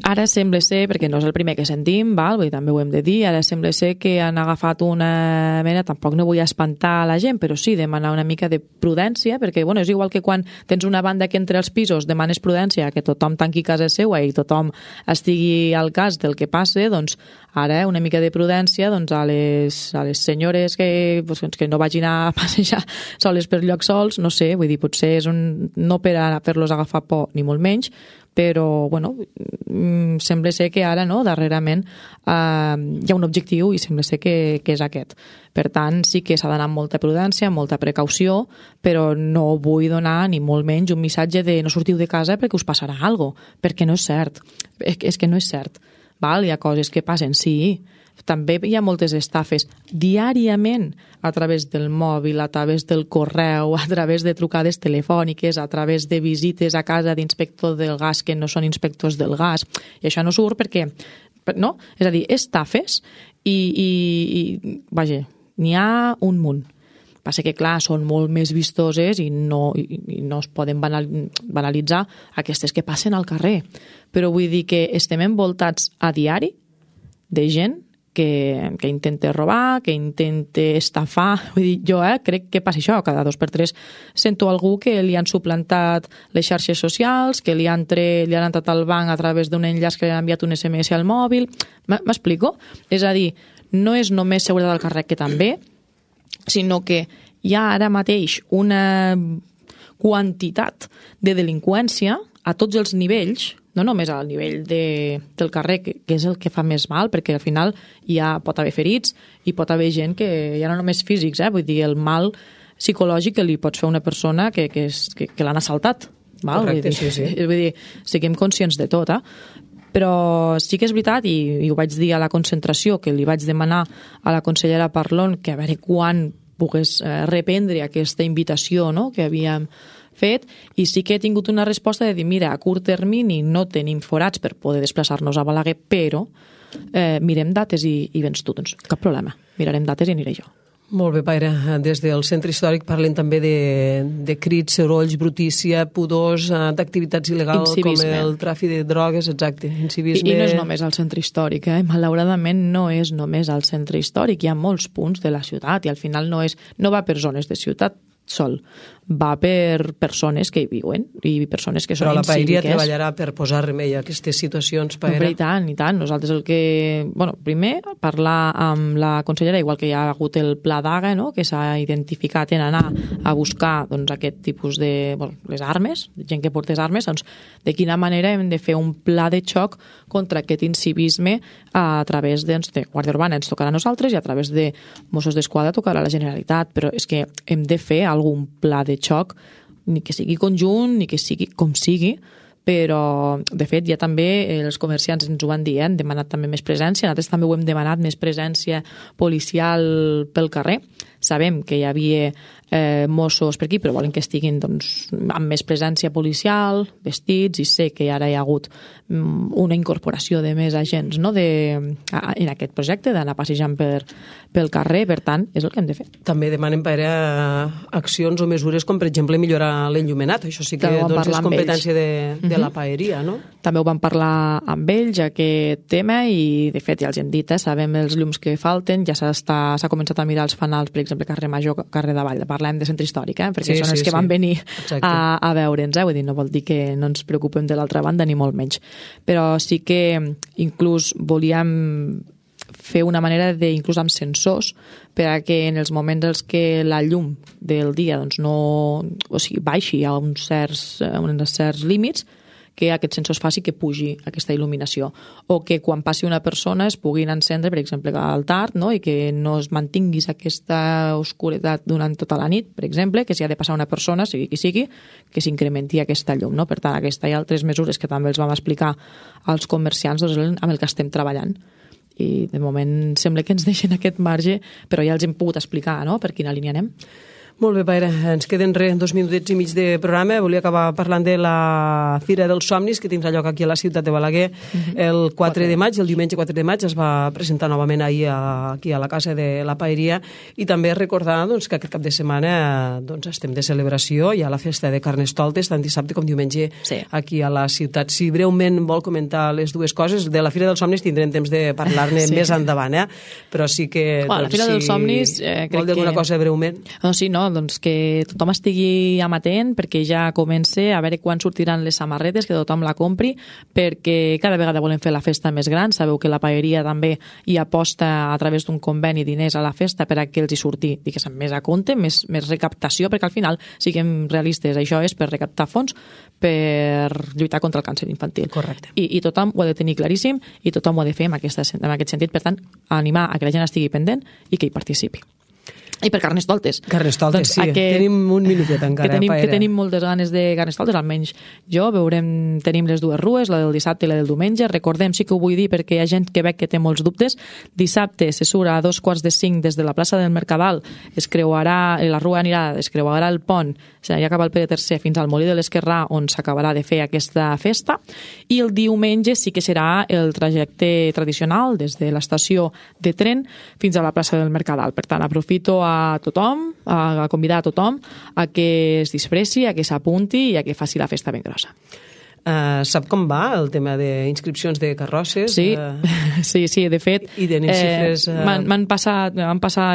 ara sembla ser, perquè no és el primer que sentim, val? Vull dir, també ho hem de dir, ara sembla ser que han agafat una mena, tampoc no vull espantar la gent, però sí demanar una mica de prudència, perquè bueno, és igual que quan tens una banda que entre els pisos demanes prudència, que tothom tanqui casa seva i tothom estigui al cas del que passe, doncs ara una mica de prudència doncs, a les senyores que no vagin a passejar soles per llocs sols, no sé, vull dir, potser és no per a fer-los agafar por, ni molt menys, però bueno, sembla ser que ara no, darrerament hi ha un objectiu i sembla ser que és aquest. Per tant, sí que s'ha d'anar amb molta prudència, amb molta precaució, però no vull donar ni molt menys un missatge de no sortiu de casa perquè us passarà alguna cosa, perquè no és cert. És que no és cert. Val? Hi ha coses que passen, sí. També hi ha moltes estafes diàriament a través del mòbil, a través del correu, a través de trucades telefòniques, a través de visites a casa d'inspectors del gas que no són inspectors del gas. I això no surt perquè, no? És a dir, estafes i vaja, n'hi ha un munt. Passa que, clar, són molt més vistoses i no es poden banalitzar aquestes que passen al carrer. Però vull dir que estem envoltats a diari de gent que intenta robar, que intenta estafar. Vull dir, jo crec que passa això, cada 2 per 3 sento algú que li han suplantat les xarxes socials, que li han entrat al banc a través d'un enllaç que li han enviat un SMS al mòbil. M'explico? És a dir, no és només seguretat del carrer, que també, sinó que hi ha ara mateix una quantitat de delinqüència a tots els nivells, no només al nivell del carrer, que és el que fa més mal, perquè al final pot haver ferits i pot haver gent que ja no només físics, vull dir, el mal psicològic que li pots fer a una persona que l'han assaltat. Val? Correcte, sí. Vull dir, siguem conscients de tot, Però sí que és veritat, i ho vaig dir a la concentració, que li vaig demanar a la consellera Parlon que a veure quan pogués reprendre aquesta invitació, no?, que havíem fet, i sí que he tingut una resposta de dir, mira, a curt termini no tenim forats per poder desplaçar-nos a Balaguer, però mirem dates i vens tu, doncs cap problema, mirarem dates i aniré jo. Molt bé, Paire. Des del centre històric parlen també de crits, sorolls, brutícia, pudors, d'activitats il·legals com el tràfic de drogues, exacte, incivisme. I no és només al centre històric, malauradament no és només al centre històric, hi ha molts punts de la ciutat i al final no va per zones de ciutat sol, va per persones que hi viuen i persones que són incíviques. Però la Paeria treballarà per posar remei a aquestes situacions, Paera? I tant. Nosaltres primer, parlar amb la consellera, igual que hi ha hagut el pla d'AGA, no?, que s'ha identificat en anar a buscar aquest tipus de les armes, gent que portés armes, doncs de quina manera hem de fer un pla de xoc contra aquest incivisme a través de Guàrdia Urbana, ens tocarà a nosaltres, i a través de Mossos d'Esquadra tocarà a la Generalitat, però és que hem de fer algun pla de xoc, ni que sigui conjunt, ni que sigui com sigui, però, de fet, ja també els comerciants ens ho van dir, han demanat també més presència, nosaltres també ho hem demanat, més presència policial pel carrer. Sabem que hi havia Mossos per aquí, però volen que estiguin amb més presència policial, vestits, i sé que ara hi ha hagut una incorporació de més agents en aquest projecte, d'anar passejant pel carrer, per tant, és el que hem de fer. També demanen accions o mesures com, per exemple, millorar l'enllumenat. Això sí que és competència de la Paeria, no? També ho vam parlar amb ells, aquest tema, i de fet ja els hem dit, sabem els llums que falten, ja s'ha començat a mirar els fanals, per exemple, carrer Major, carrer de Vall, parlem de centre històric, perquè són els que van venir a veure'ns, vull dir, no vol dir que no ens preocupem de l'altra banda, ni molt menys. Però sí que inclús volíem fer una manera inclús amb sensors per a que en els moments en què la llum del dia baixi a uns certs límits, que aquest sensor faci que pugi aquesta il·luminació, o que quan passi una persona es puguin encendre, per exemple, al tard, no?, i que no es mantinguis aquesta oscuretat durant tota la nit, per exemple, que si ha de passar una persona, sigui qui sigui, que s'incrementi aquesta llum, no? Per tant, aquesta i altres mesures que també els vam explicar als comerciants, amb el que estem treballant. I de moment sembla que ens deixen aquest marge, però ja els hem pogut explicar, no?, per quina línia anem. Molt bé, Paera, ens queden 2 minutets i mig de programa. Volia acabar parlant de la Fira dels Somnis, que tindrà lloc aquí a la ciutat de Balaguer el 4 de maig, el diumenge 4 de maig. Es va presentar novament ahir aquí a la Casa de la Paeria, i també recordar doncs, que aquest cap de setmana doncs, estem de celebració. Hi ha la festa de Carnestoltes, tant dissabte com diumenge aquí a la ciutat. Si breument vol comentar les dues coses, de la Fira dels Somnis tindrem temps de parlar-ne més endavant, però sí que la Fira dels Somnis vol dir alguna cosa breument. Sí, no, doncs que tothom estigui amatent, perquè ja comença a veure quan sortiran les samarretes, que tothom la compri, perquè cada vegada volem fer la festa més gran. Sabeu que la Paeria també hi aposta a través d'un conveni diners a la festa per a que els hi surti, diguéssim, més a compte, més recaptació, perquè al final, siguem realistes, això és per recaptar fons per lluitar contra el càncer infantil. Correcte. I tothom ho ha de tenir claríssim i tothom ho ha de fer en aquest sentit. Per tant, animar a que la gent estigui pendent i que hi participi. I per Carnestoltes. Carnestoltes, doncs, sí. Tenim un minutet encara. Que tenim moltes ganes de Carnestoltes, almenys jo. Tenim les dues rues, la del dissabte i la del diumenge. Recordem, sí que ho vull dir perquè hi ha gent que veig que té molts dubtes. Dissabte se surt a 4:45 des de la plaça del Mercadal. La rua es creuarà el pont, ja acaba el Pere III, fins al Molí de l'Esquerrà, on s'acabarà de fer aquesta festa. I el diumenge sí que serà el trajecte tradicional des de l'estació de tren fins a la plaça del Mercadal. Per tant, aprofito a tothom, a convidar a tothom a que es disfressi, a que s'apunti i a que faci la festa ben grossa. Sap com va el tema d'inscripcions de carrosses? Sí, de fet, i de xifres... m'han passat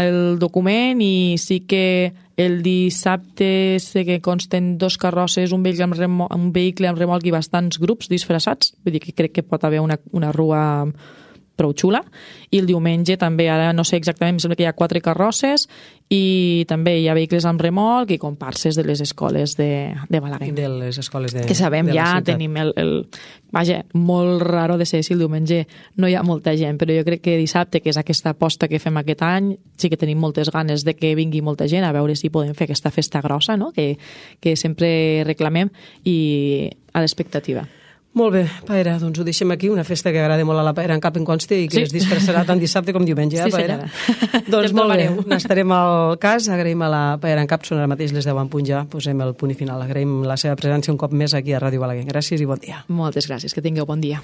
el document i sí que el dissabte sé que consten 2 carrosses, un vehicle amb remolc i bastants grups disfressats, vull dir que crec que pot haver una rua prou xula, i el diumenge també, ara no sé exactament, em sembla que hi ha 4 carrosses i també hi ha vehicles amb remolc i comparses de les escoles de Balaguer. De les escoles de que sabem, de ja tenim vaja, molt raro de ser si el diumenge no hi ha molta gent, però jo crec que dissabte, que és aquesta aposta que fem aquest any, sí que tenim moltes ganes de que vingui molta gent a veure si podem fer aquesta festa grossa, no? que sempre reclamem, i a l'expectativa. Molt bé, Paera, doncs ho deixem aquí, una festa que agrada molt a la Paera en Cap, en conste, i que es disfressarà tant dissabte com diumenge, Paera? Senyora. Doncs molt bé, n'estarem al cas, agraïm a la Paera en Cap, són ara mateix les 10 en punt ja, posem el punt i final, agraïm la seva presència un cop més aquí a Ràdio Balaguer. Gràcies i bon dia. Moltes gràcies, que tingueu bon dia.